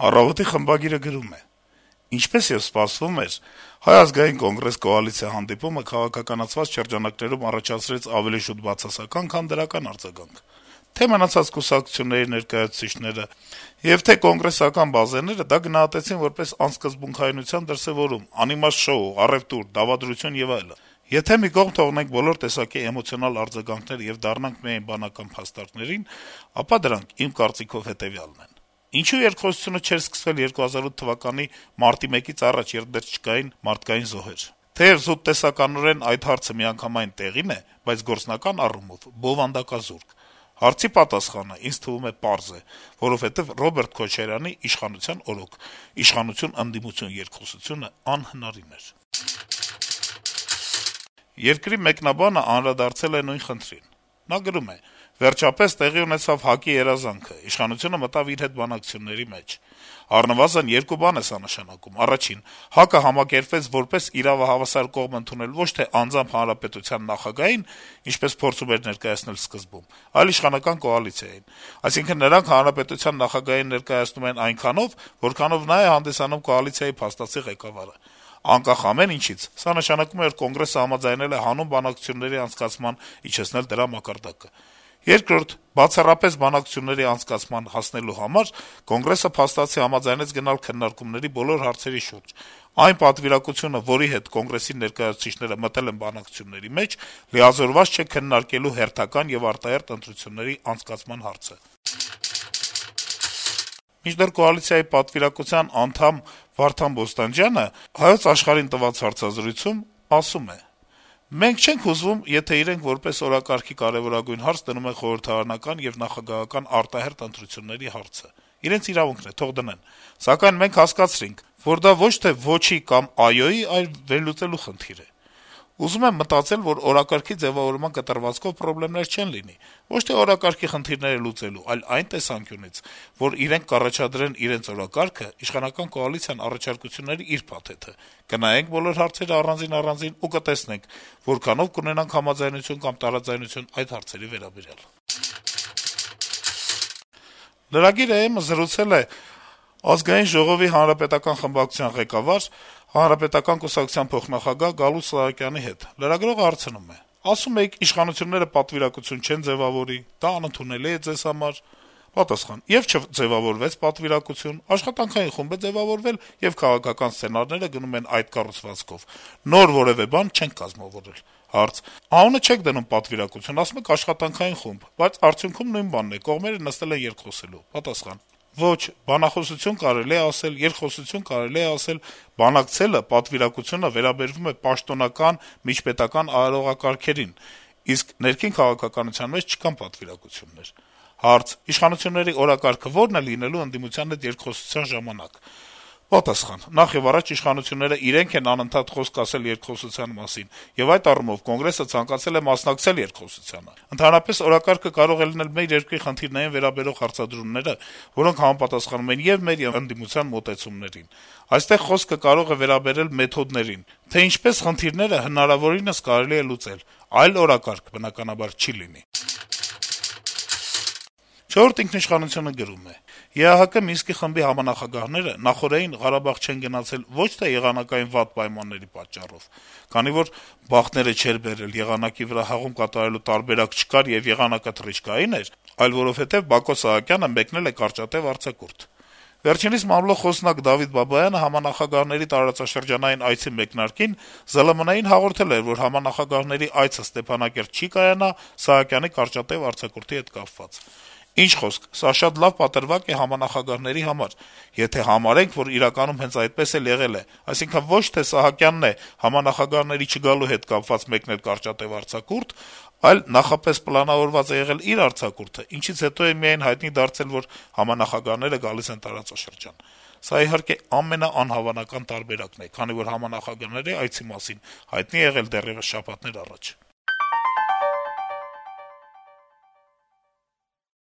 «Առավոտ»-ի խմբագիրը գրում է. - «Ինչպես եւ սպասվում էր, Հայ ազգային կոնգրես կոալիցիա հանդիպումը քաղաքականացված շրջանակներում առաջացրեց ավելի շուտ բացասական, քան դրական արձագանք: Թե' մնացած կուսակցությունների ներկայացուցիչները եւ թե' կոնգրեսական բազեները դա գնահատեցին որպես անսկզբունքայնության դրսեւորում, անիմաստ շոու, առեւտուր, դավադրություն եւ այլն: Եթե մի կողմ թողնենք բոլոր տեսակի էմոցիոնալ արձագանքները եւ դառնանք միայն բանական փաստարկներին, ապա դրանք, իմ կարծիքով, հետեւյալն են: Ինչու երկխոսությունը չէր սկսվել 2008 թվականի մարտի 1-ից առաջ, երբ դեռ չկային մարդկային զոհեր: Թեեւ զուտ տեսականորեն այդ հարցը միանգամայն տեղին է, բայց գործնական առումով բովանդակազուրկ: Հարցի պատասխանը, ինձ թվում է, պարզ է, որովհետեւ Ռոբերտ Քոչարյանի «իշխանության օրոք», իշխանություն-ընդդիմություն երկխոսությունը անհնարին էր»: «Երկիր» թերթի մեկնաբանը անդրադարձել է նույն խնդրին: Նա գրում է. - «Վերջապես տեղի ունեցավ ՀԱԿ-ի երազանքը, իշխանությունը մտավ իր հետ բանակցությունների մեջ: Առնվազն երկու բան է սա նշանակում. առաջին՝ ՀԱԿ-ը համակերպվեց որպես իրավահավասար կողմ ընդունել ոչ թե անձամբ հանրապետության նախագահին, ինչպես փորձում էր ներկայացնել սկզբում, այլ իշխանական կոալիցիային: Այսինքն՝ նրանք հանրապետության նախագահին ներկայացնում են այնքանով, որքանով նա է հանդիսանում կոալիցիայի փաստացի ղեկավարը: Անկախ ամեն ինչից, սա նշանակում է, որ Կոնգրեսը համաձայնել է հանուն բանակցությունների անցկացման իջեցնել դրա մակարդակը: Երկրորդ՝ բացառապես բանակցությունների անցկացման հասնելու համար Կոնգրեսը փաստացի համաձայնեց գնալ քննարկումների բոլոր հարցերի շուրջ: Այն պատվիրակությունը, որի հետ Կոնգրեսի ներկայացուցիչները մտել են բանակցությունների մեջ, լիազորված չէ քննարկելու հերթական եւ արտահերթ ընտրությունների անցկացման հարցը»: Մինչդեռ կոալիցիայի պատվիրակության անդամ Վարդան Բոստանջյանը «Հայոց Աշխարհ»-ին տված հարցազրույցում ասում է. - «Մենք չենք հուզվում, եթե իրենք որպես օրակարգի կարեւորագույն հարց դնում են խորհրդարանական եւ նախագահական արտահերթ ընտրությունների հարցը: Իրենց իրավունքն է, թող դնեն: Սակայն մենք հասկացրինք, որ դա ոչ թե «ոչի» կամ «այո»-ի, այլ վերլուծելու խնդիր է: Ուզում եմ մտածել, որ օրակարգի ձեւավորման կտրվածքով պրոբլեմներ չեն լինի: Ոչ թե օրակարգի խնդիրները լուծելու, այլ այն տեսանկյունից, որ իրենք կառաջադրեն իրենց օրակարգը, իշխանական կոալիցիան առաջարկությունների իր փաթեթը: Կնայենք բոլոր հարցերը առանձին-առանձին ու կտեսնենք` որքանով կունենանք համաձայնություն կամ տարաձայնություն այդ հարցերի վերաբերյալ»: Lragir.am-ը զրուցել է Ազգային ժողովի հանրապետական խմբակցության ղեկավար, Հանրապետական կուսակցության փոխնախագահ Գալուստ Սահակյանի հետ: Լրագրողը հարցնում է. - «Ասում էիք` իշխանությունները պատվիրակություն չեն ձեւավորի, դա անընդունելի է ձեզ համար»: Պատասխան. - «Եվ չձեւավորվեց պատվիրակություն: Աշխատանքային խումբ է ձեւավորվել, եւ քաղաքական սցենարները գնում են այդ կառուցվածքով: Նոր որեւէ բան չենք կազմավորել»: Հարց. - «Անունը չեք դնում պատվիրակություն, ասում եք աշխատանքային խումբ, բայց արդյունքում նույն բանն է, կողմերը նստել են երկխոսելու»: Պատասխան. - «Ոչ, բանախոսություն կարելի է ասել, երկխոսություն կարելի է ասել: Բանակցելը, պատվիրակությունը վերաբերվում է պաշտոնական, միջպետական արարողակարգերին, իսկ ներքին քաղաքականության մեջ չկան պատվիրակություններ»: Հարց. - «Իշխանությունների օրակարգը ո՞րն է լինելու ընդդիմության հետ երկխոսության ժամանակ»: Պատասխան. - «Նախ եւ առաջ իշխանությունները իրենք են անընդհատ խոսք ասել երկխոսության մասին, եւ այդ առումով Կոնգրեսը ցանկացել է մասնակցել երկխոսությանը: Ընդհանրապես, օրակարգը կարող է լինել մեր երկրի խնդիրներին վերաբերող հարցադրումները, որոնք համապատասխանում են ե՛ւ մեր, ե՛ւ ընդդիմության մոտեցումներին: Այստեղ խոսքը կարող է վերաբերել մեթոդներին, թե ինչպես խնդիրները հնարավորինս կարելի է լուծել: Այլ օրակարգ, բնականաբար, չի լինի»: «Չորրորդ ինքնիշխանություն»-ը գրում է. - «ԵԱՀԿ Մինսկի խմբի համանախագահները նախօրեին Ղարաբաղ չեն գնացել ոչ թե եղանակային վատ պայմանների պատճառով, քանի որ բախտները չէր բերել, եղանակի վրա հղում կատարելու տարբերակ չկար եւ եղանակը թռիչքային էր, այլ որովհետեւ Բակո Սահակյանը մեկնել է կարճատեւ արձակուրդ: Վերջինիս մամլո խոսնակ Դավիթ Բաբայանը համանախագահների տարածաշրջանային այցի մեկնարկին ԶԼՄ-ին հաղորդել էր, որ համանախագահների այցը Ստեփանակերտ չի կայանա Սահակյանի կարճատեւ արձակուրդի հետ կապված: Ինչ խոսք, սա շատ լավ պատրվակ է համանախագահների համար, եթե համարենք, որ իրականում հենց այդպես էլ եղել է, այսինքն ոչ թե Սահակյանն է համանախագահների չգալու հետ կապված մեկնել կարճատեւ արձակուրդ, այլ նախապես պլանավորված է եղել իր արձակուրդը, ինչից հետո է միայն հայտնի դարձել, որ համանախագահները գալիս են տարածաշրջան: Սա, իհարկե, ամենաանհավանական տարբերակն է, քանի որ համանախագահների այցի մասին հայտնի է եղել դեռեւս շաբաթներ առաջ»: